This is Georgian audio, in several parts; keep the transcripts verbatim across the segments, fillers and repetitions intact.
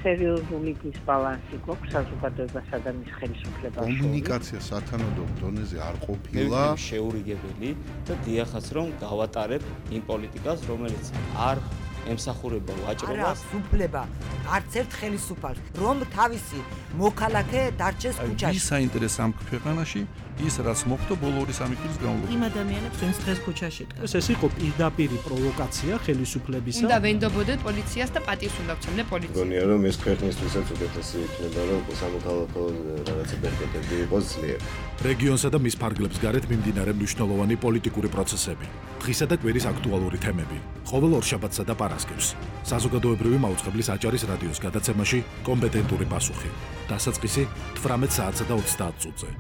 სერიოზული დისბალანსი გვაქვს საზოგადოებასა და მის ხელისუფლებას. კომუნიკაცია სათანადო დონეზე არ ყოფილა. შეურიგებელი და დიახაც რომ გავატარებ იმ პოლიტიკას, რომელიც არ ემსახურება ვაჭრობას. არა, უფლება არც ერთ ხელისუფალს, რომ თავისი მოქალაქე დარჩეს ქუჩაში. ვის საინტერესო ამ ქვეყანაში ის რაც მოხდა ბოლო ორი სამი წლის განმავლობაში. იმ ადამიანებს ვინც დღეს ქუჩაში დგას. ეს იყო პირდაპირი პროვოკაცია ხელისუფლებისა. უნდა ვენდობოდეთ პოლიციას და პატივს უნდა ვცემდე პოლიციას. გონია რომ ეს ქვეყნისთვისაც უკეთესი იქნება რომ სამოქალაქო რაღაცა ბერკეტები იყოს ძლიერ. რეგიონსა და მის ფარგლებს გარეთ მიმდინარე მნიშვნელოვანი პოლიტიკური პროცესები. დღისა და კვირის აქტუალური თემები. ყოველ ორშაბათსა და პარასკევს. საზოგადოებრივი მაუწყებლის აჭარის რადიოს გადაცემაში კომპეტენტური პასუხი. დასაწყისი თვრამეტ საათსა და ოცდაათ წუთზე.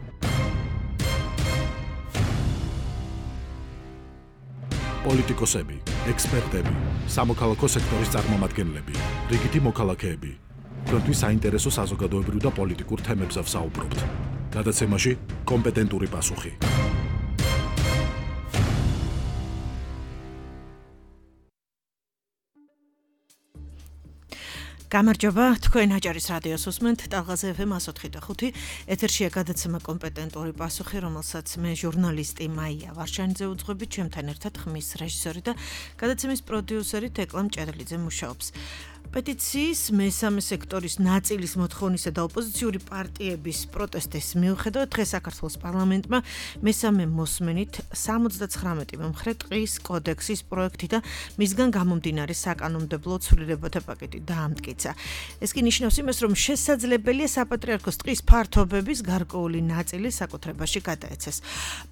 პოლიტიკოსები, ექსპერტები, სამოქალაქო სექტორის წარმომადგენლები, რიგითი მოქალაქეები. თქვენთვის საინტერესო საზოგადოებრივ და პოლიტიკურ თემებზე ვსაუბრობთ. გადაცემაში კომპეტენტური პასუხი. გამარჯობა, თქვენ აჭარის რადიოს უსმენთ, ტალღაზე ეფ ემ one oh five point five. ეთერშია გადაცემა კომპეტენტური პასუხი, რომელსაც მე ჟურნალისტი მაია ვარშანიძე უძღვებით, ჩემთან ერთად ხმის რეჟისორი და გადაცემის პროდიუსერი თეკლა მჭედლიძე მუშაობს. პეტიციის მესამე სექტორის ნაწილის მოთხოვნისა და ოპოზიციური პარტიების პროტესტის მიუხედავად დღეს საქართველოს პარლამენტმა მესამე მოსმენით სამოცდათხრამეტი მომხრე ტყის კოდექსის პროექტი და მისგან გამომდინარე საკანონმდებლო ცვლილებათა პაკეტი დაამტკიცა. ეს კი ნიშნავს იმას, რომ შესაძლებელია საპატრიარქოს ტყის ფართობების გარკვეული ნაწილი საკუთრებაში გადაეცეს.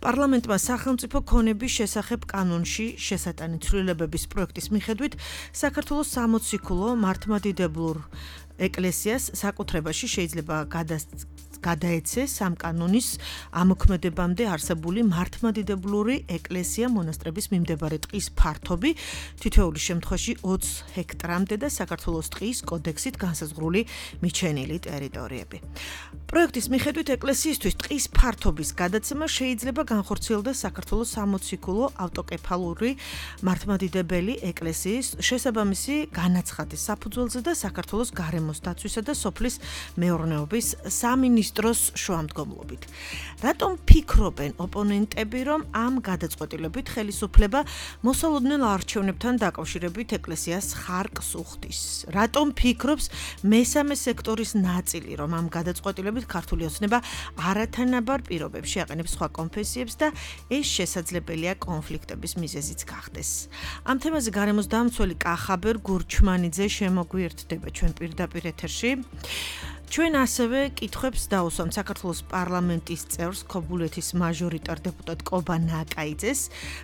პარლამენტმა სახელმწიფო ქონების შესახებ კანონში შესატანი ცვლილებების პროექტის მიხედვით საქართველოს სამოციქულო მართლმადიდებლურ ეკლესიას საკუთრებაში შეიძლება გადაეცეს ამ კანონის ამოქმედებამდე არსებული მართლმადიდებლური ეკლესია მონასტრების მიმდებარე ტყის ფართობი თითოეული შემთხვევაში ოცი ჰექტრამდე და საქართველოს ტყის კოდექსით განსაზღვრული მიჩენილი ტერიტორიები. პროექტის მიხედვით ეკლესიისთვის ტყის ფართობის გადაცემა შეიძლება განხორციელდეს საქართველოს სამოციქულო ავტოკეფალური მართლმადიდებელი ეკლესიის შესაბამისი განაცხადის საფუძველზე და საქართველოს გარემოს დაცვისა და სოფლის მეურნეობის სამინისტროს შუამდგომლობით. რატომ ფიქრობენ ოპონენტები, რომ ამ გადაწყვეტილებით ხელისუფლება მოსალოდნელ არჩევნებთან დაკავშირებით ეკლესიას ხარკს უხდის? რატომ ფიქრობს მესამე სექტორის ნაწილი, რომ ამ გადაწყვეტილებით ქართული ოცნება არათანაბარ პირობებში აყენებს სხვა კონფესიებს და ეს შესაძლებელია კონფლიქტების მიზეზიც გახდეს. ამ თემაზე გარემოს დამცველი კახაბერ გურჩმანიძე შემოგვიერთდება ჩვენ პირდაპირ ეთერში. ჩვენ ასევე კითხვებს დაუსვამთ საქართველოს პარლამენტის წევრს ქობულეთის მაჟორიტარ დეპუტატ კობა ნაკაიძეს.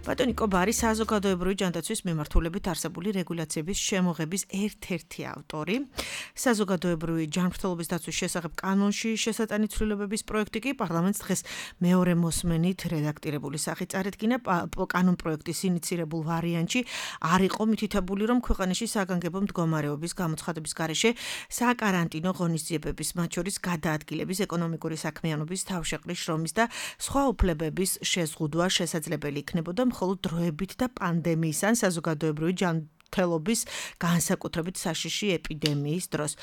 ბატონი კობა არის საზოგადოებრივი ჯანდაცვის მიმართულებით არსებული რეგულაციების შემოღების ერთ-ერთი ავტორი. საზოგადოებრივი ჯანმრთელობის დაცვის შესახებ კანონში შესატანი ცვლილებების პროექტი კი პარლამენტს დღეს მეორე მოსმენით რედაქტირებული სახით წარედგინა. კანონ პროექტის ინიცირებულ ვარიანტში არ იყო მითითებული, რომ ქვეყანაში საგანგებო მდგომარეობის გამოცხადების გარეშე საკარანტინო ღონისძიებები მათ შორის გადაადგილების, ეკონომიკური საქმიანობის, თავშეყრის შრომის და სხვა უფლებების შეზღუდვა შესაძლებელი იქნებოდა მხოლოდ დროებით და პანდემიის ან საზოგადოებრივი ჯანმრთელობის განსაკუთრებით საშიში ეპიდემიის დროს.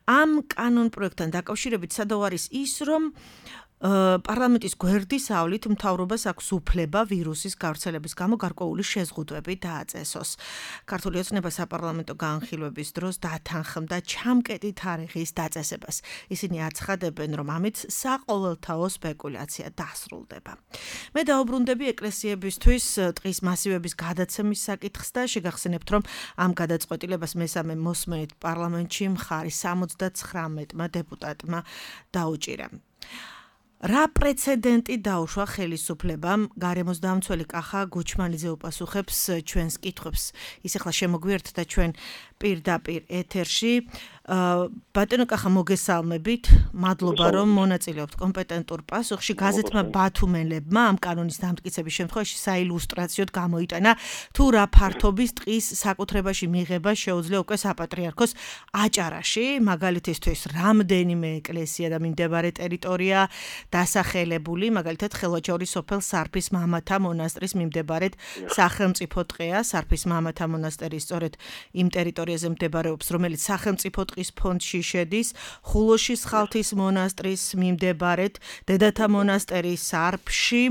ამ კანონ პროექტთან დაკავშირებით სადავ არის ის, რომ პარლამენტის გვერდის ავლით მთავრობას აქვს უფლება ვირუსის გავრცელების გამო გარკვეული შეზღუდვები დააწესოს. ქართული ოცნება საპარლამენტო განხილვების დროს დათანხმდა ჩამკეტი თარიღის დაწესებას. ისინი აცხადებენ, რომ ამით საყოველთაო სპეკულაცია დასრულდება. მე დაუბრუნდები ეკლესიებისთვის ტყის მასივების გადაცემის საკითხს და შეგახსენებთ, რომ ამ გადაწყვეტილებას მესამე მოსმენით პარლამენტში მხარი სამოცდათხრამეტმა დეპუტატმა დაუჭირა. რა პრეცედენტი დაუშვა ხელისუფლებამ? გარემოს დამცველი კახა გუჩმანიძე უპასუხებს ჩვენს კითხვებს. ის ახლა შემოგვიერთდა ჩვენ პირდაპირ ეთერში. ბატონო კახა, მოგესალმებით. მადლობა, რომ მონაწილეობთ კომპეტენტურ პასუხში. გაზეთმა ბათუმელებმა ამ კანონის დამტკიცების შემთხვევაში საილუსტრაციოდ გამოიტანა თუ რა ფართობის ტყის საკუთრებაში მიღება შეუძლია უკვე საპატრიარქოს აჭარაში. მაგალითისთვის, რამდენიმე ეკლესია და მიმდებარე ტერიტორია დასახელებული, მაგალითად ხელვაჩაურის სოფელ სარფის მამათა მონასტრის მიმდებარედ სახელმწიფო ტყეა. სარფის მამათა მონასტერი სწორედ იმ ტერიტორიაზე მდებარეობს, რომელიც სახელმწიფო ტყის ფონდში შედის, ხულოშის ხალთის მონასტრის მიმდებარედ, დედათა მონასტერის სარფში,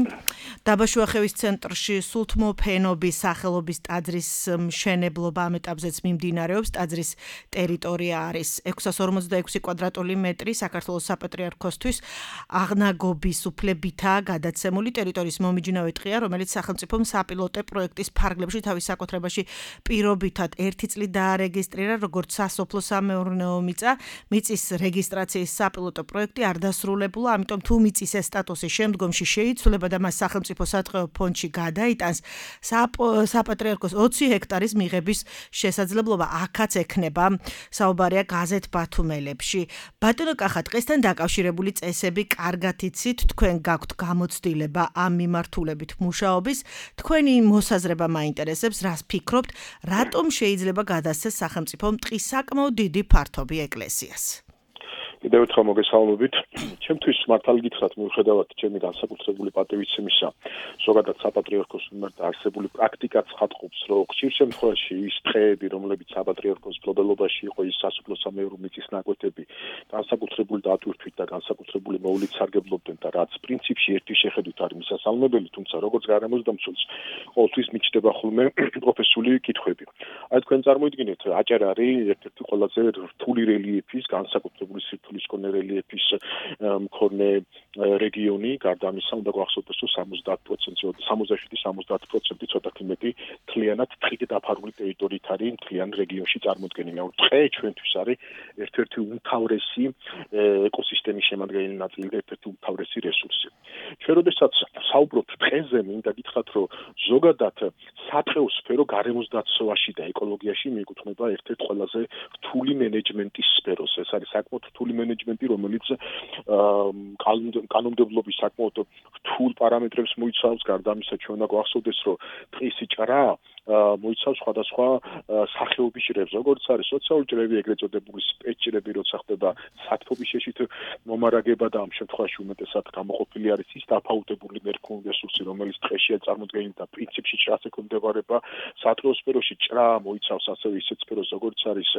დაბაშუახევის ცენტრში სულთმოფენობის სახელობის ტაძრის მშენებლობა ამ ეტაპზეც მიმდინარეობს. ტაძრის ტერიტორია არის ექვსას ორმოცდაექვსი კვადრატული მეტრი, საქართველოს საპატრიარქოსთვის აღნაგობის უფლებითაა გადაცემული. ტერიტორიის მომიჯნავე ტყეა, რომელიც სახელმწიფომ საპილოტო პროექტის ფარგლებში თავის საკუთრებაში პირობითად ერთი წლით დაარეგისტრირა როგორც სასოფლო-სამეურნეო მიწა. მიწის რეგისტრაციის საპილოტო პროექტი არ დასრულებულა, ამიტომ თუ მიწის ეს სტატუსი შემდგომში შეიცვლება და მას სახელმწიფო სატყეო ფონდში გადაიტანს, საპატრიარქოს ოცი ჰექტარის მიღების შესაძლებლობა აქაც ექნება. საუბარია გაზეთ ბათუმელებში. ბატონო კახა, დღესთან დაკავშირებული წესები კარგად იცით, თქვენ გაქვთ გამოცდილება ამ მიმართულებით მუშაობის, თქვენი მოსაზრება მაინტერესებს, რას ფიქრობთ, რატომ შეიძლება გადასცეს სახელმწიფომ ტყის საკმაოდ დიდი ფართობი ეკლესიას? კიდევ ერთხელ მოგესალმებით. ჩემთვის მართალი გითხრათ, მიუხედავად ჩემი განსაკუთრებული პატივისცემისა, ზოგადად საპატრიარქოს მიმართ არსებული პრაქტიკაც ხატყობს, რომ ხშირ შემთხვევაში ის ტყეები, რომლებიც საპატრიარქოს მფლობელობაში იყო, ის სასოფლო-სამეურნეო მიწის ნაკვეთები, განსაკუთრებული დატვირთვით და განსაკუთრებული მოვლით სარგებლობდნენ და რაც პრინციპში ერთი შეხედვით არის მისასალმებელი, თუმცა როგორც გარემოსდამცველს ყოველთვის მიჩნდება ხოლმე პროფესიული კითხვები. აი თქვენ წარმოიდგინეთ, აჭარარი ერთ-ერთი ყველაზე რთული რელიეფის, განსაკუთრებული სირთულე მქონე რელიეფის მქონე რეგიონი, გარდა ამისა, უნდა გვახსოვდეს, რომ სამოცდაათ პროცენტი, სამოცდაშვიდი სამოცდაათ პროცენტი ცოტათი მეტი მთლიანად ტყით დაფარული ტერიტორიით არის მთლიან რეგიონში წარმოდგენილი. ანუ ტყე ჩვენთვის არის ერთ-ერთი უმთავრესი ეკოსისტემის შემადგენელი ნაწილი და ერთ-ერთი უმთავრესი რესურსი. ჩვენ როდესაც საუბრობთ ტყეზე, მინდა გითხრათ, რომ ზოგადად სატყეო სფერო გარემოსდაცვაში და ეკოლოგიაში მიეკუთვნება ერთ-ერთ ყველაზე რთული მენეჯმენტის სფეროს. ეს არის საკმაოდ რთული მენეჯმენტი, რომელიც კანონმდებლობის საკმაოდ რთულ პარამეტრებს მოიცავს. გარდა ამისა, ჩვენ უნდა გვახსოვდეს, რომ ტყის ჭრა მოიცავს სხვადასხვა სახეობის ჭრებს, როგორც არის სოციალური ჭრები, ეგრეთ წოდებული სპეცჭრები, როცა ხდება სათბობის შეშით მომარაგება და ამ შემთხვევაში უმეტესად გამოყოფილი არის ის დაფაუტებული მერქნული რესურსი, რომელიც ტყეშია წარმოდგენილი და პრინციპში ჭრას ექვემდებარება. სატყეო სფეროში ჭრა მოიცავს ასევე ისეთ სფეროს, როგორც არის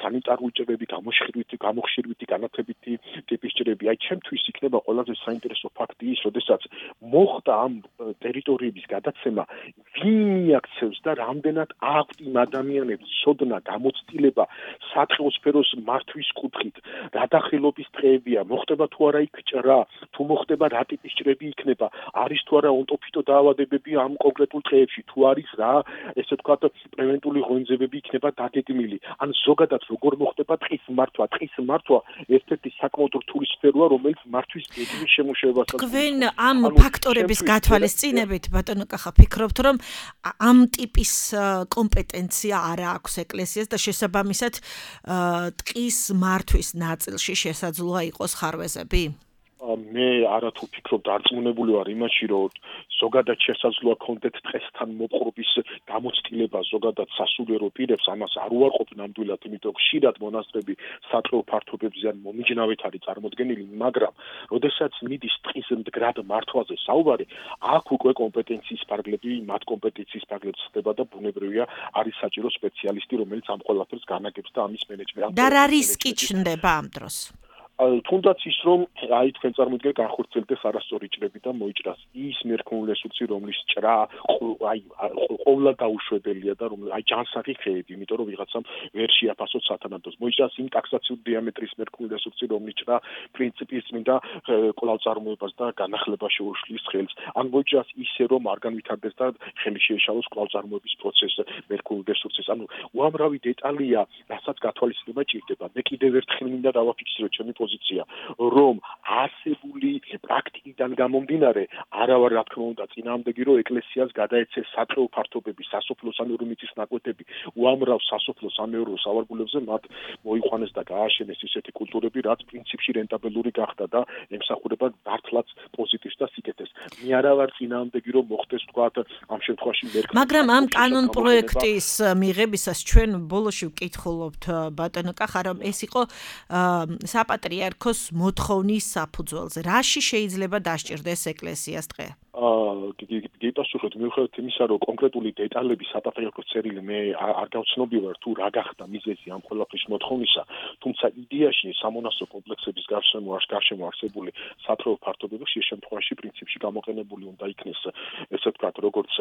სანიტარული ჭრები, გამოხშირვითი, გამოხშირვითი, განათებითი ტიპის ჭრები. აი, ჩემთვის იქნება ყველაზე საინტერესო ფაქტი ის, როდესაც მოხდა ამ ტერიტორიების გადაცემა, ვინ მიაქცევს და რამდენად აქვთ იმ ადამიანებს ცოდნა, გამოცდილება სატყეო სფეროს მართვის კუთხით, რა დახელობის ტყეებია, მოხდება თუ არა იქ ჭრა, თუ მოხდება რა ტიპის ჭრები იქნება, არის თუ არა ონტოფიტო დაავადებები ამ კონკრეტულ ტყეებში, თუ არის რა, ესე ვთქვათ, პრევენტული ღონისძიებები იქნება დაგეგმილი. ან ზოგადად როგორ მოხდება ტყის მართვა, ტყის მართვა ერთ-ერთი საკმაოდ რთული სფეროა, რომელიც მართვის გეგმის შემუშავებას თქვენ ამ ფაქტორების გათვალისწინებით, ბატონო კახა, ფიქრობთ, რომ ამ ტიპის კომპეტენცია არ აქვს ეკლესიას და შესაბამისად ტყის მართვის ნაწილში შესაძლოა იყოს ხარვეზები? მე არათუ ფიქრობ დარწმუნებული ვარ იმაში, რომ ზოგადად შესაძლოა კონდეთ ტყესთან მოპყრობის გამოცდილება ზოგადად სასულიერო პირებს, ამას არ უარყოფ ნამდვილად, იმიტომ რომ ხშირად მონასტრები სატყეო ფართობებზე ან მომიჯნავეთ არის წარმოდგენილი, მაგრამ როდესაც მიდის ტყის მდგრად მართვაზე საუბარი, აქ უკვე კომპეტენციის ფარგლები, მათ კომპეტენციის ფარგლებს ხდება და ბუნებრივია არის საჭირო სპეციალისტი, რომელიც ამ ყველაფერს განაგებს და ამის მენეჯმენტს. და რა რისკი ჩნდება ამ დროს? თუნდაც ის, რომ აი თქვენ წარმოიდგინეთ განხორციელდეს არასწორი ჭრები და მოიჭრას ის მერქნული რესურსი, რომლის ჭრა აი ყოვლა დაუშვებელია და რომ აი ჯანსაღი ხეები, იმიტომ რომ ვიღაცამ ვერ შეაფასოს სათანადოს. მოიჭრას იმ ტაქსაციური დიამეტრის მერქნული რესურსი, რომლის ჭრა პრინციპის წმინდა კვლავწარმოებას და განახლებას შეუშლის ხელს. ან მოიჭრას ისე, რომ არ განვითარდეს და ხელი შეეშალოს კვლავწარმოების პროცესს მერქნული რესურსის. ანუ უამრავი დეტალია, რასაც გათვალისწინება ჭირდება. მე კიდევ ერთხელ მინდა დავაფიქსირო ჩემი პოზიცია, რომ არსებული პრაქტიკიდან გამომდინარე, არა ვარ რა თქმა უნდა წინააღმდეგი, რომ ეკლესიას გადაეცეს სატყეო ფართობები, სასოფლო-სამეურნეო მიწის ნაკვეთები, უამრავ სასოფლო-სამეურნეო სავარგულებზე მათ მოიყვანეს და გააშენეს ისეთი კულტურები, რაც პრინციპში რენტაბელური გახდა და ემსახურება მართლაც პოზიტივს და სიკეთეს. მე არა ვარ წინააღმდეგი, რომ მოხდეს თქვათ ამ შემთხვევაში მერქნული. მაგრამ ამ კანონ პროექტის მიღებისას ჩვენ ბოლოში ვკითხულობთ ბატონო კახა, რომ ეს იყო საპატრიარქოს საპატრიარქოს მოთხოვნის საფუძველზე. რაში შეიძლება დასჭირდეს ეკლესიას დღე? გეპასუხოთ მიუხედავად იმისა, რომ კონკრეტული დეტალები საპატრიარქოს წერილი მე არ გავცნობი ვარ თუ რა გახდა მიზეზი ამ ყველაფრის მოთხოვნისა, თუმცა იდეაში სამონასტრო კომპლექსების გარშემო გარშემო არსებული სათროო ფართობები ხშირ შემთხვევაში პრინციპში გამოყენებული უნდა იქნეს, ესე ვთქვათ, როგორც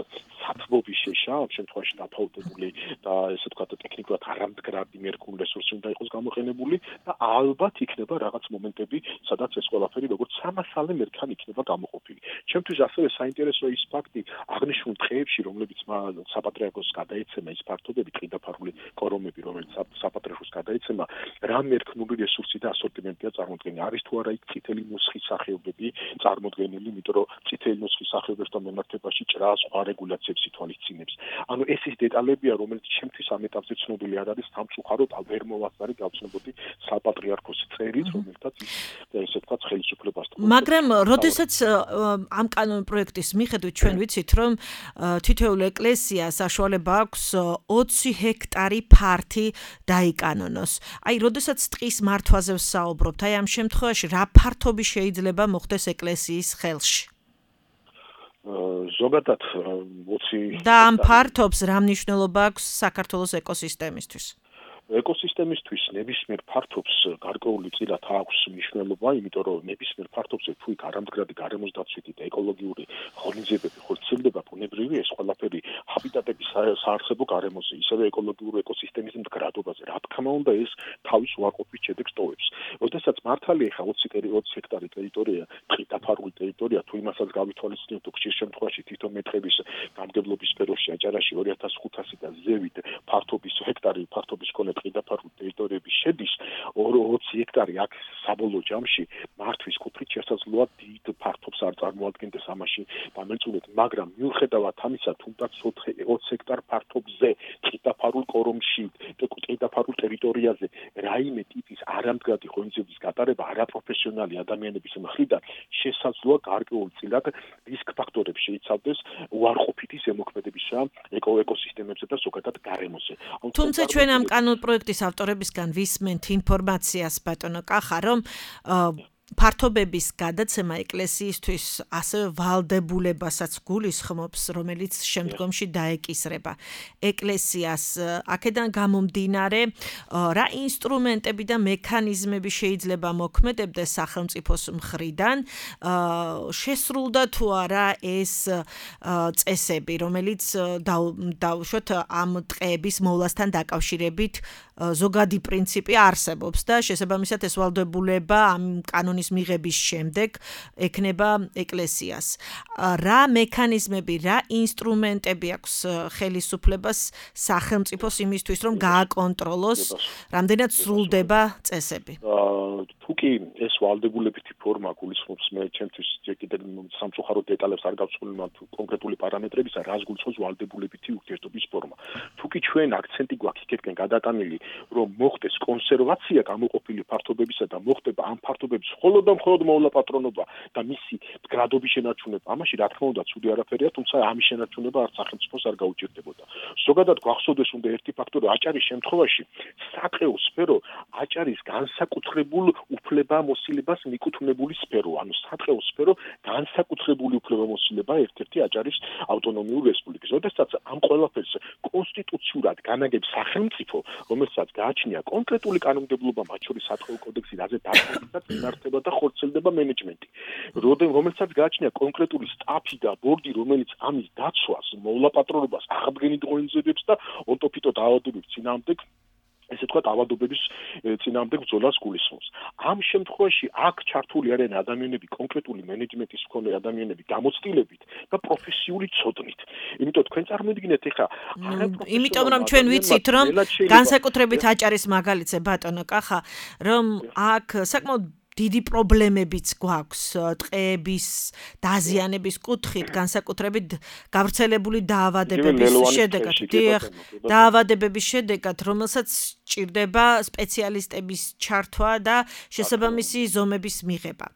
სათბობის შეშა, ამ შემთხვევაში დაფაუდებული და ესე ვთქვათ, ტექნიკურად არამდგრადი მერქული რესურსი უნდა იყოს გამოყენებული და ალბათ იქნება რაღაც მომენტები, სადაც ეს ყველაფერი როგორც სამასალე მერქანი იქნება გამოყოფილი. ჩემთვის ასევე საინტერესოა ის ფაქტი, აღნიშნულ დღეებში, რომლებიც საპატრიარქოს გადაეცემა ის ფართობები, ტყიდაფარული კორომები, რომელიც საპატრიარქოს გადაეცემა, რა მერქნული რესურსი და ასორტიმენტია წარმოდგენილი. არის თუ არა იქ წითელი ნუსხის სახეობები წარმოდგენილი, იმიტომ რომ წითელი ნუსხის სახეობებთან მიმართებაში ჭრა სხვა რეგულაციებს ითვალისწინებს. ანუ ეს ის დეტალებია, რომელიც ჩემთვის ამ ეტაპზე ცნობილი არ არის, სამწუხაროდ ვერ მოვასწარი გავცნობოდი საპატრიარქოს წერილს, რომელთაც ესე ვთქვათ ხელისუფლებას. მაგრამ როდესაც ამ კანონ პროექტის მიხედვით ჩვენ ვიცით, რომ თითოეულ ეკლესიას საშუალება აქვს ოცი ჰექტარი ფართი დაიკანონოს. აი, როდესაც ტყის მართვაზე ვსაუბრობთ, აი ამ შემთხვევაში რა ფართობი შეიძლება მოხდეს ეკლესიის ხელში? ზოგადად ოცი და ამ ფართობს რა მნიშვნელობა აქვს საქართველოს ეკოსისტემისთვის? ეკოსისტემისთვის ნებისმიერ ფართობს გარკვეული წილად აქვს მნიშვნელობა, იმიტომ რომ ნებისმიერ ფართობზე თუ იქ არამდგრადი გარემოს დაცვითი და ეკოლოგიური ღონისძიებები ხორციელდება, ბუნებრივი ეს ყველაფერი ჰაბიტატების საარსებო გარემოზე, ისევე ეკოლოგიური ეკოსისტემის მდგრადობაზე. რა თქმა უნდა, ეს თავის უარყოფით შედეგს ტოვებს. როდესაც მართალია ხა ოცი ჰექტარი ტერიტორია, ტყიდაფარული ტერიტორია, თუ იმასაც გავითვალისწინებთ, ხშირ შემთხვევაში თვითონ მეტრების გამგებლობის სფეროში აჭარაში ორი ათას ხუთასი და ზევით ფართობის ჰექტარი ფართობის მქონე ტყიდაფარული ტერიტორიები შედის, ოცი ჰექტარი აქ საბოლოო ჯამში მართვის კუთხით შესაძლოა დიდ ფართობს არ წარმოადგენდეს ამაში დამერწმუნეთ, მაგრამ მიუხედავად ამისა, თუნდაც ოცი ჰექტარ ფართობზე ტყიდაფარულ კორომში, ტყიდაფარულ ტერიტორიაზე რაიმე ტიპის არამდგრადი ღონისძიების გატარება არაპროფესიონალი ადამიანების მხრიდან შესაძლოა გარკვეულ წილად რისკ ფაქტორებს შეიცავდეს უარყოფითი ზემოქმედებისა ეკოსისტემებზე და ზოგადად გარემოზე. თუმცა ჩვენ ამ კანონ პროექტის ავტორებისგან ვისმენთ ინფორმაციას, ბატონო კახა, რომ ფართობების გადაცემა ეკლესიისთვის ასევე ვალდებულებასაც გულისხმობს, რომელიც შემდგომში დაეკისრება ეკლესიას. აქედან გამომდინარე, რა ინსტრუმენტები და მექანიზმები შეიძლება მოქმედებდეს სახელმწიფოს მხრიდან, შესრულდა თუ არა ეს წესები, რომელიც დავუშვათ ამ ტყეების მოვლასთან დაკავშირებით ზოგადი პრინციპი არსებობს და შესაბამისად ეს ვალდებულება ამ კანონის მიღების შემდეგ ექნება ეკლესიას. რა მექანიზმები, რა ინსტრუმენტები აქვს ხელისუფლებას სახელმწიფოს იმისთვის, რომ გააკონტროლოს, რამდენად სრულდება წესები? თუ კი ეს ვალდებულებითი ფორმა გულისხმობს, მე ჩემთვის კიდევ სამწუხაროდ დეტალებს არ გავცნობ კონკრეტული პარამეტრებისა, რას გულისხმობს ვალდებულებითი ურთიერთობის ფორმა. თუ კი ჩვენ აქცენტი გვაქვს იქეთკენ გადატანილი, რომ მოხდეს კონსერვაცია გამოყოფილი ფართობებისა და მოხდება ამ ფართობების მხოლოდ და მხოლოდ მოვლაპატრონობა და მისი მდგრადობის შენარჩუნება, ამაში რა თქმა უნდა ცუდი არაფერია, თუმცა ამის შენარჩუნება არც სახელმწიფოს არ გაუჭირდებოდა. ზოგადად გვახსოვდეს უნდა ერთი ფაქტორი, აჭარის შემთხვევაში სატყეო სფერო აჭარის განსაკუთრებულ უფლებამოსილებას მიკუთვნებული სფერო, ანუ სატყეო სფერო განსაკუთრებული უფლებამოსილება ერთ-ერთი აჭარის ავტონომიური რესპუბლიკის. როდესაც ამ ყველაფერს კონსტიტუციურად განაგებს სახელმწიფო, რომელსაც გააჩნია კონკრეტული კანონმდებლობა, მათ შორის სატყეო კოდექსი, რაზე დარწმუნებაც იმართება და ხორციელდება მენეჯმენტი. როდესაც გააჩნია კონკრეტული სტაფი და ბორდი, რომელიც ამის დაცვას, მოვლაპატრონობას, აღდგენით ღონისძიებებს და ონტოფიტო დაავადებებს წინააღმდეგ ესე თქვა ავადობების წინააღმდეგ ბრძოლას გულისხმობს. ამ შემთხვევაში აქ ჩართული არიან ადამიანები, კონკრეტული მენეჯმენტის მქონე ადამიანები, გამოცდილებით და პროფესიული ცოდნით. იმიტომ თქვენ წარმოიდგინეთ ეხა, იმიტომ რომ ჩვენ ვიცით, რომ განსაკუთრებით აჭარის მაგალითზე ბატონო კახა, რომ აქ საკმაოდ დიდი პრობლემებიც გვაქვს ტყეების დაზიანების კუთხით, განსაკუთრებით გავრცელებული დაავადებების შედეგად, დიახ, დაავადებების შედეგად, რომელსაც სჭირდება სპეციალისტების ჩართვა და შესაბამისი ზომების მიღება.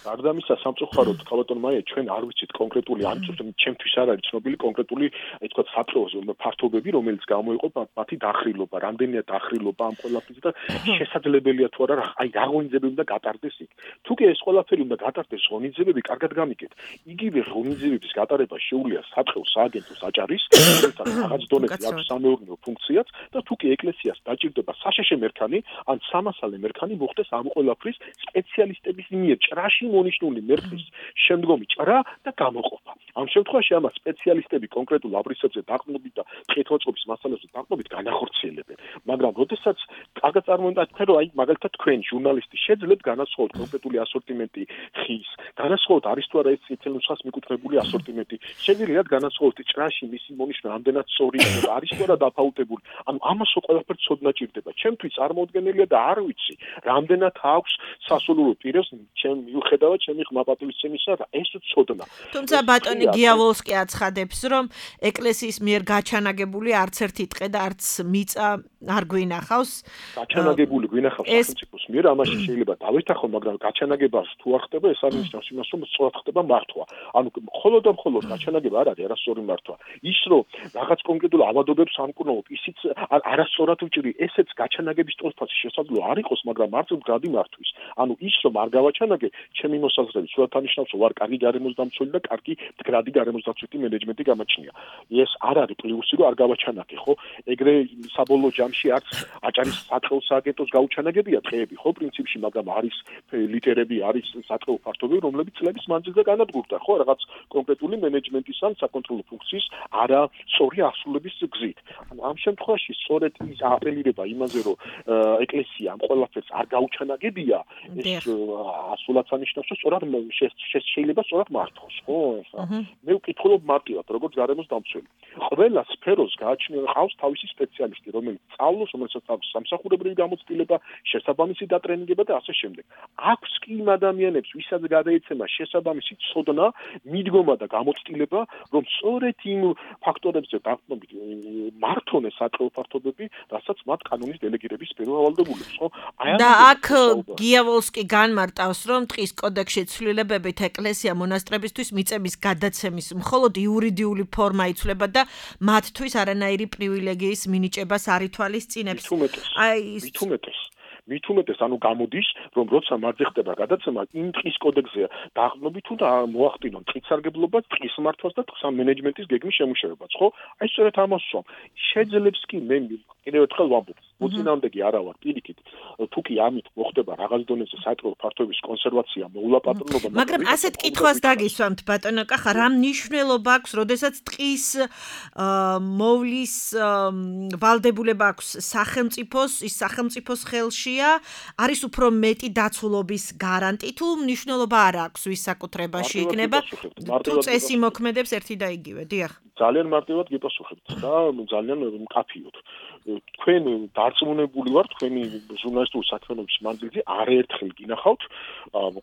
გარდა ამისა სამწუხაროდ ქალბატონ მაია ჩვენ არ ვიცით კონკრეტული ან ჩემთვის არ არის ცნობილი კონკრეტული აი თქვა საფრთხე ფართობები რომელიც გამოიყო მათი დახრილობა რამდენია დახრილობა ამ ყველაფრის და შესაძლებელია თუ არა აი რა ღონისძიებები უნდა გატარდეს იქ თუ კი ეს ყველაფერი უნდა გატარდეს ღონისძიებები კარგად გამიგეთ იგივე ღონისძიებების გატარება შეუძლია საფრთხე სააგენტო საჭარის რაღაც დონეზე აქვს სამეურნეო ფუნქციაც და თუ კი ეკლესიას დაჭირდება საშეშე მერქანი ან სამასალე მერქანი მოხდეს ამ ყველაფრის სპეციალისტების მიერ ჭრაში მონიშნული მერქნის შემდგომი ჭრა და გამოყოფა ამ შემთხვევაში ამას სპეციალისტები კონკრეტულ აბრისებზე დაყრდნობით და კეთილმოწყობის მასალებზე დაყრდნობით განახორციელებენ მაგრამ როდესაც კარგად წარმოვიდგინოთ თქვენ რომ აი მაგალითად თქვენ ჟურნალისტი შეძლებთ განასხვაოთ კონკრეტული ასორტიმენტი ხის განასხვაოთ არის თუ არა ეს ცეცხლსას მიკუთვნებული ასორტიმენტი შეგვიძლია განასხვაოთ ჭრაში მისი მონიშნა ამდენად სწორია და არის თუ არა დაფაუტებული ანუ ამას ყველაფერს ცოდნა ჭირდება ჩემთვის წარმოუდგენელია და არ ვიცი რამდენად აქვს სასულიერო პირებს ჩემ მიუხედავად ჩემი ხმაპატივისცემისა და ეს ცოდნა თუმცა ბატონი გიავოლსკი აცხადებს რომ ეკლესიის მიერ გაჩანაგებული არც ერთი ტყე და არც მიწა არ გვინახავს გაჩანაგებული გვინახავს სახელმწიფოს მიერ ამაში შეიძლება დავეთახო მაგრამ გაჩანაგებას თუ არ ხდება ეს არის ნიშნავს იმას რომ სწორად ხდება მართვა ანუ მხოლოდ და მხოლოდ გაჩანაგება არ არის არასწორი მართვა ის რომ რაღაც კონკრეტულ ავადობებს ამკურნალობ ისიც არასწორად უჭირი ესეც გაჩანაგების ტოლფასი შესაძლოა არ იყოს მაგრამ მართ მდგრადი მართვის ანუ ის რომ არ გავაჩანაგე ჩემი მოსაზრებით სულად ანიშნავს რომ ვარ კარგი გარემოსდამცველი და კარგი მდგრადი გარემოსდაცვითი მენეჯმენტი გამაჩნია ეს არ არის პლუსი რომ არ გავაჩანაგე ხო ეგრე საბოლოო ჯამში არც აჭარის საწყო სააგენტოს გაუჩანაგებია დღეები ხო პრინციპში მაგრამ არის ლიტერები არის საწყო ფაქტობები რომლებიც წლების მანძილზე განადგურდა ხო რაღაც კონკრეტული მენეჯმენტის ან საკონტროლო ფუნქციის არა სწორი ასრულების გზით ანუ ამ შემთხვევაში სწორედ ის აპელირება იმაზე რომ ეკლესია ამ ყველაფერს არ გაუჩანაგებია ეს ასულად ანიშნავს რომ სწორად შეიძლება სწორად მართოს ხო მე ვკითხულობ მარტივად როგორც გარემოსდამცველი ყველა სფეროს გააჩნია ყავს თავისი სპეციალისტი რომელიც სწავლობს რომელსაც აქვს სამსახურებრივი გამოცდილება შესაბამისი დატრენინგება და ასე შემდეგ აქვს კი იმ ადამიანებს ვისაც გადაეცემა შესაბამისი ცოდნა მიდგომა და გამოცდილება რომ სწორედ იმ ფაქტორებზე დაყრდნობით მართონეს საწყო ფართობები რასაც მათ კანონის დელეგირების სფერო ავალდებულებს ხო და აქ გიავოლსკი განმარტავს რომ ტყის კოდექსში ცვლილებებით ეკლესია მონასტრებისთვის მიწების გადაცემის მხოლოდ იურიდიული ფორმა იცვლება და მათთვის არანაირი პრივილეგიის მინიჭებას არ ითვალისწინებს აი მით უმეტეს მით უმეტეს ანუ გამოდის რომ როცა მათზე ხდება გადაცემა იმ ტყის კოდექსზე დაყრდნობით თუ და მოახდინონ ტყის სარგებლობას ტყის მართვას და ტყის მენეჯმენტის გეგმის შემუშავებას ხო აი სწორედ ამას ვსვამ შეძლებს კი მე კიდევ ერთხელ ვამბობ მოწინააღმდეგე არა ვარ პირიქით თუ კი ამით მოხდება რაღაც დონეზე საწყო ფართობის კონსერვაცია მოულა პატრონობა მაგრამ ასეთ კითხვას დაგისვამთ ბატონო კახა რა მნიშვნელობა აქვს როდესაც ტყის მოვლის ვალდებულება აქვს სახელმწიფოს ის სახელმწიფოს ხელშია არის უფრო მეტი დაცულობის გარანტი თუ მნიშვნელობა არ აქვს ვის საკუთრებაში იქნება თუ წესი მოქმედებს ერთი და იგივე დიახ ძალიან მარტივად გიპასუხებთ და ძალიან მკაფიოდ თქვენ დარწმუნებული ვარ თქვენი ჟურნალისტური საქმიანობის მანძილზე არაერთხელ გინახავთ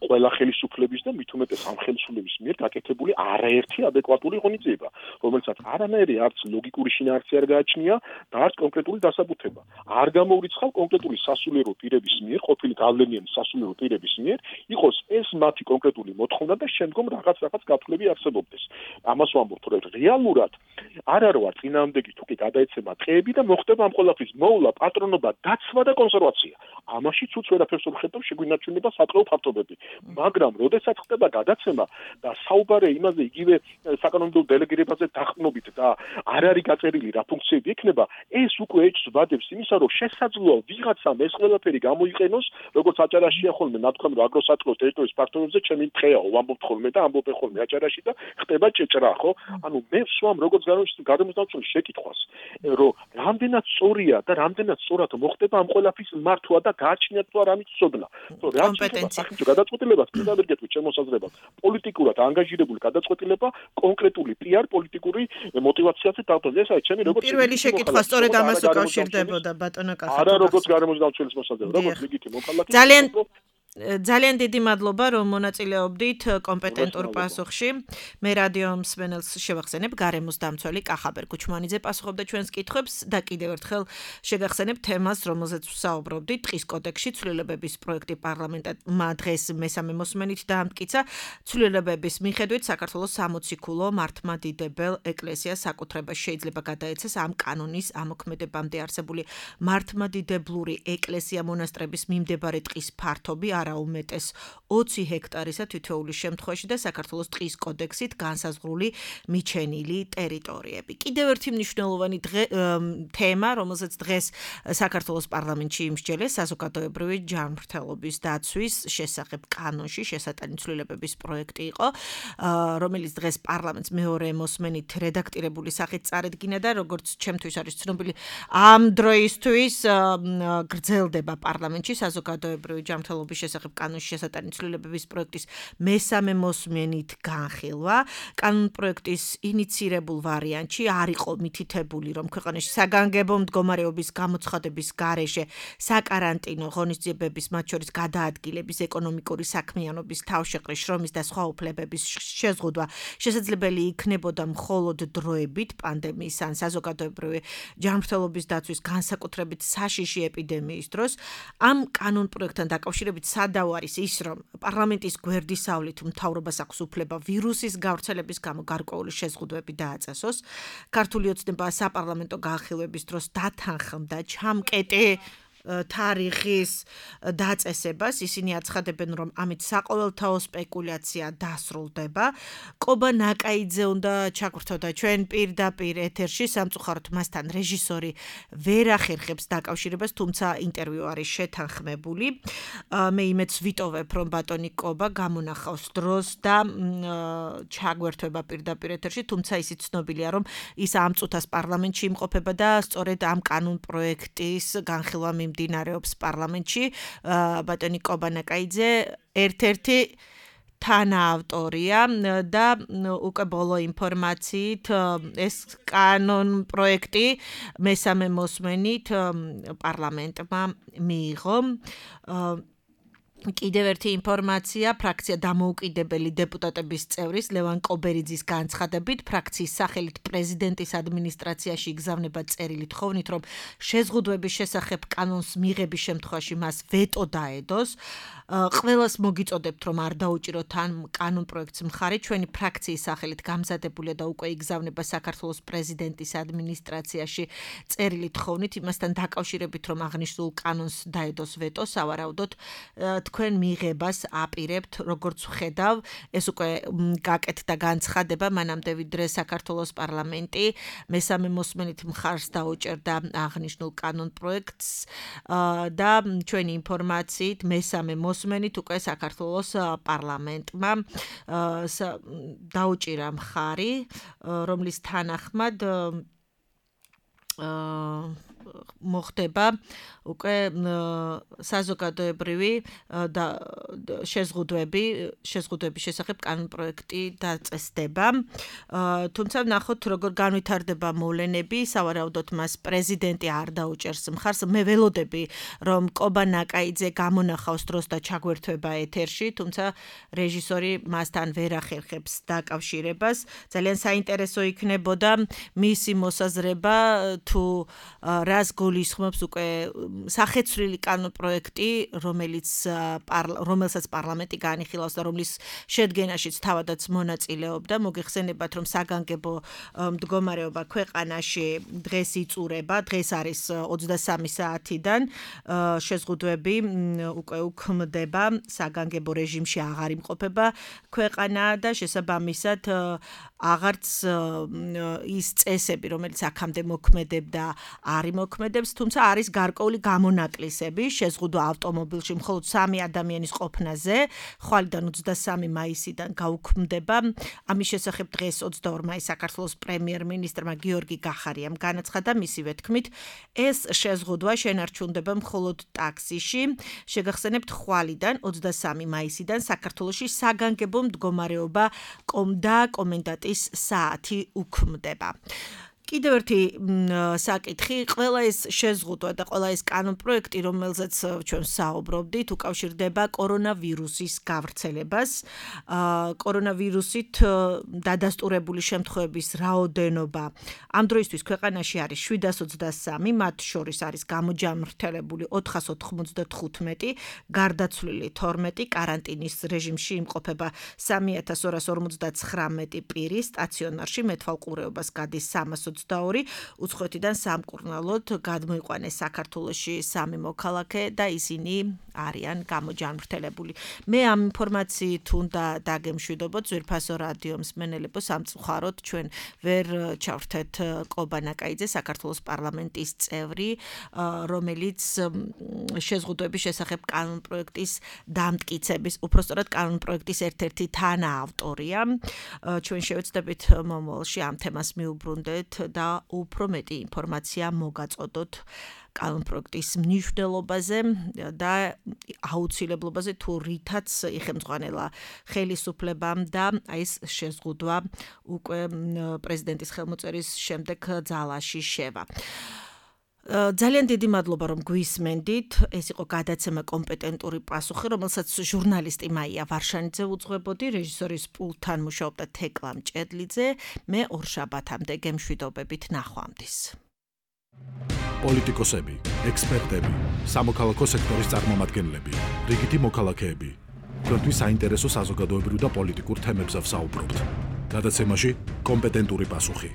ყველა ხელისუფლების და მით უმეტეს ამ ხელისუფლების მიერ გაკეთებული არაერთი ადეკვატური ღონისძიება რომელსაც არანაირი არც ლოგიკური შინაარსი არ გააჩნია და არც კონკრეტული დასაბუთება არ გამოურიცხავ კონკრეტული სასულიერო პირების მიერ ყოფილი გავლენიანი სასულიერო პირების მიერ იყოს ეს მათი კონკრეტული მოთხოვნა და შემდგომ რაღაც რაღაც გათვლები არსებობდეს ამას ვამბობ რომ რეალურად არ არ ვარ წინააღმდეგი თუ კი გადაეცემა ტყეები და მოხდება ამ ყველაფრის მოვლა პატრონობა დაცვა და კონსერვაცია ამაში ცუც ვერაფერს ვერ ხედავ შეგვინარჩუნება საწყო ფაქტობები მაგრამ როდესაც ხდება გადაცემა და საუბარია იმაზე იგივე საკანონმდებლო დელეგირებაზე დაყრდნობით და არ არის გაწერილი რა ფუნქციები ექნება ეს უკვე ეჭვს ვადებს იმისა რომ შესაძლოა ვიღაცამ ეს ყველაფერი გამოიყენოს როგორც აჭარაშია ხოლმე ნათქვამი რომ აგროსატყეოს ტერიტორიის ფაქტორებზე ჩემი ტყეაო ვამბობთ ხოლმე და ამბობ ხოლმე აჭარაში და ხდება ჭეჭრა ხო ანუ მე ვსვამ როგორც გარემოსდამცველი შეკითხვას რომ რამდენად სწორია და რამდენად სწორად მოხდება ამ ყველაფრის მართვა და გააჩნიათ თუ არ ამის ცოდნა. ხო, კომპეტენცია. გადაწყვეტილებას კიდევ შემოსაზრება პოლიტიკურად ანგაჟირებული გადაწყვეტილება კონკრეტული პიარ პოლიტიკური მოტივაციაზე დავთვალე. ეს არის ჩემი როგორც პირველი შეკითხვა სწორედ ამას უკავშირდებოდა ბატონო კახა. არა როგორც გარემოსდამცველის მოსაზრება, როგორც ლეგიტიმო ქალაქის. ძალიან ძალიან დიდი მადლობა, რომ მონაწილეობდით კომპეტენტურ პასუხში. მე რადიო მსმენელს შევახსენებ, გარემოს დამცველი კახაბერ კუჩმანიძე პასუხობდა ჩვენს კითხვებს და კიდევ ერთხელ შეგახსენებ თემას, რომელზეც ვსაუბრობდით, ტყის კოდექსში ცვლილებების პროექტი პარლამენტმა დღეს მესამე მოსმენით დაამტკიცა. ცვლილებების მიხედვით საქართველოს სამოციქულო მართლმადიდებელ ეკლესიას საკუთრება შეიძლება გადაეცეს ამ კანონის ამოქმედებამდე არსებული მართლმადიდებლური ეკლესია მონასტრების მიმდებარე ტყის ფართობი არა უმეტეს ოცი ჰექტარისა თითოეულის შემთხვევაში და საქართველოს ტყის კოდექსით განსაზღვრული მიჩენილი ტერიტორიები. კიდევ ერთი მნიშვნელოვანი თემა, რომელზეც დღეს საქართველოს პარლამენტში იმსჯელეს საზოგადოებრივი ჯანმრთელობის დაცვის შესახებ კანონში შესატანი ცვლილებების პროექტი იყო, რომელიც დღეს პარლამენტს მეორე მოსმენით რედაქტირებული სახით წარედგინა და როგორც ჩემთვის არის ცნობილი, ამ დროისთვის გრძელდება პარლამენტში საზოგადოებრივი ჯანმრთელობის შესახებ კანონში შესატანი ცვლილებების პროექტის მესამე მოსმენით განხილვა. კანონპროექტის ინიცირებულ ვარიანტში არ იყო მითითებული, რომ ქვეყანაში საგანგებო მდგომარეობის გამოცხადების გარეშე საკარანტინო ღონისძიებების, მათ შორის გადაადგილების, ეკონომიკური საქმიანობის, თავშეყრის, შრომის და სხვა უფლებების შეზღუდვა შესაძლებელი იქნებოდა მხოლოდ დროებით პანდემიის ან საზოგადოებრივი ჯანმრთელობის დაცვის განსაკუთრებით საშიში ეპიდემიის დროს. ამ კანონპროექტთან დაკავშირებით სადავო არის ის, რომ პარლამენტის გვერდისავლით მთავრობას აქვს უფლება ვირუსის გავრცელების გამო გარკვეული შეზღუდვები დააწესოს. ქართული ოცნება საპარლამენტო განხილვების დროს დათანხმდა ჩამკეტი თარიღის დაწესებას. ისინი აცხადებენ, რომ ამით საყოველთაო სპეკულაცია დასრულდება. კობა ნაკაიძე უნდა ჩაგვრთოდა ჩვენ პირდაპირ ეთერში, სამწუხაროდ მასთან რეჟისორი ვერ ახერხებს დაკავშირებას, თუმცა ინტერვიუ არის შეთანხმებული. მე იმედს ვიტოვებ, რომ ბატონი კობა გამონახავს დროს და ჩაგვერთვება პირდაპირ ეთერში, თუმცა ისიც ცნობილია, რომ ის ამ წუთას პარლამენტში იმყოფება და სწორედ ამ კანონპროექტის განხილვა მიმდინარეობს პარლამენტში. ბატონი კობა ნაკაიძე ერთ-ერთი თანაავტორია და უკვე ბოლო ინფორმაციით ეს კანონპროექტი მესამე მოსმენით პარლამენტმა მიიღო. კიდევ ერთი ინფორმაცია, ფრაქცია დამოუკიდებელი დეპუტატების წევრის ლევან კობერიძის განცხადებით, ფრაქციის სახელით პრეზიდენტის ადმინისტრაციაში იგზავნება წერილი თხოვნით, რომ შეზღუდვების შესახებ კანონს მიღების შემთხვევაში მას ვეტო დაედოს. ყველას მოგიწოდებთ, რომ არ დაუჭიროთ ამ კანონპროექტს მხარი, ჩვენი ფრაქციის სახელით გამზადებულია და უკვე იგზავნება საქართველოს პრეზიდენტის ადმინისტრაციაში წერილი თხოვნით, იმასთან დაკავშირებით, რომ აღნიშნულ კანონს დაედოს ვეტო, სავარაუდოდ თქვენ მიღებას აპირებთ, როგორც ვხედავ, ეს უკვე გაკეთდა განცხადება, მანამდე ვიდრე საქართველოს პარლამენტი მესამე მოსმენით მხარს დაუჭერდა აღნიშნულ კანონპროექტს და ჩვენი ინფორმაციით მესამე მოსმენით უკვე საქართველოს პარლამენტმა დაუჭირა მხარი, რომლის თანახმად მოხდება უკვე საზოგადოებრივი და შეზღუდვები, შეზღუდვების შესახებ კანონპროექტი დაწესდება. თუმცა ნახოთ, როგორ განვითარდება მოვლენები, სავარაუდოდ მას პრეზიდენტი არ დაუჭერს მხარს. მე ველოდები, რომ კობა ნაკაიძე გამონახავს დროს და ჩაგვერთვება ეთერში, თუმცა რეჟისორი მასთან ვერ ახერხებს დაკავშირებას. ძალიან საინტერესო იქნებოდა მისი მოსაზრება თუ რას გულისხმობს უკვე სახეცვლილი კანონპროექტი, რომელიც რომელსაც პარლამენტი განიხილავს და რომლის შედგენაშიც თავადაც მონაწილეობდა. მოგეხსენებათ, რომ საგანგებო მდგომარეობა ქვეყანაში დღეს იწურება, დღეს არის ოცდასამი საათიდან, შეზღუდვები უკვე უქმდება, საგანგებო რეჟიმში აღარ იმყოფება ქვეყანა და შესაბამისად აღარც ის წესები, რომელიც აქამდე მოქმედებდა, არ იმოქმედებს, თუმცა არის გარკვეული გამონაკლისები, შეზღუდვა ავტომობილში მხოლოდ სამი ადამიანის ყოფნაზე, ხვალიდან ოცდასამი მაისიდან გაუქმდება. ამის შესახებ დღეს ოცდაორი მაისს საქართველოს პრემიერ-მინისტრმა გიორგი გახარიამ განაცხადა, მისივე თქმით, ეს შეზღუდვა შენარჩუნდება მხოლოდ ტაქსიში. შეგახსენებთ, ხვალიდან ოცდასამი მაისიდან საქართველოში საგანგებო მდგომარეობა და კომენდანტის საათი უქმდება. კიდევ ერთი საკითხი, ყველა ეს შეზღუდვა და ყველა ეს კანონპროექტი, რომელზეც ჩვენ საუბრობდით, უკავშირდება კორონავირუსის გავრცელებას. კორონავირუსით დადასტურებული შემთხვევების რაოდენობა ამ დროისთვის ქვეყანაში არის შვიდას ოცდასამი, მათ შორის არის გამოჯამრთელებული ოთხას ოთხმოცდათხუთმეტი, გარდაცვლილი თორმეტი, კარანტინის რეჟიმში იმყოფება სამი ათას ორას ორმოცდაცხრამეტი პირი, სტაციონარში მეთვალყურეობას გადის სამას ოცდაორი, უცხოეთიდან სამკურნალოდ გადმოიყვანეს საქართველოში სამი მოქალაქე და ისინი არიან გამოჯანმრთელებული. მე ამ ინფორმაციით უნდა დაგემშვიდობოთ ძვირფასო რადიო მსმენელებო, სამწუხაროდ ჩვენ ვერ ჩავრთეთ კობა ნაკაიძე, საქართველოს პარლამენტის წევრი, რომელიც შეზღუდვების შესახებ კანონპროექტის დამტკიცების, უпростоრად კანონპროექტის ერთ-ერთი თანაავტორია. ჩვენ შევეცდებით მომავალში ამ თემას მიუბრუნდეთ და უფრო მეტი ინფორმაცია მოგაწოდოთ კანონპროექტის მნიშვნელობაზე და აუცილებლობაზე, თუ რითაც იხელმძღვანელა ხელისუფლებამ და ეს შეზღუდვა უკვე პრეზიდენტის ხელმოწერის შემდეგ ძალაში შევა. ძალიან დიდი მადლობა, რომ გვისმენდით. ეს იყო გადაცემა კომპეტენტური პასუხი, რომელსაც ჟურნალისტი მაია ვარშანიძე უძღვებოდი, რეჟისორის პულტთან მუშაობდა თეკლა მჭედლიძე. მე ორშაბათამდე გემშვიდობებით, ნახვამდის. პოლიტიკოსები, ექსპერტები, სამოქალაქო სექტორის წარმომადგენლები, რიგითი მოქალაქეები. თქვენთვის საინტერესო საზოგადოებრივ და პოლიტიკურ თემებზე ვსაუბრობთ. გადაცემაში კომპეტენტური პასუხი.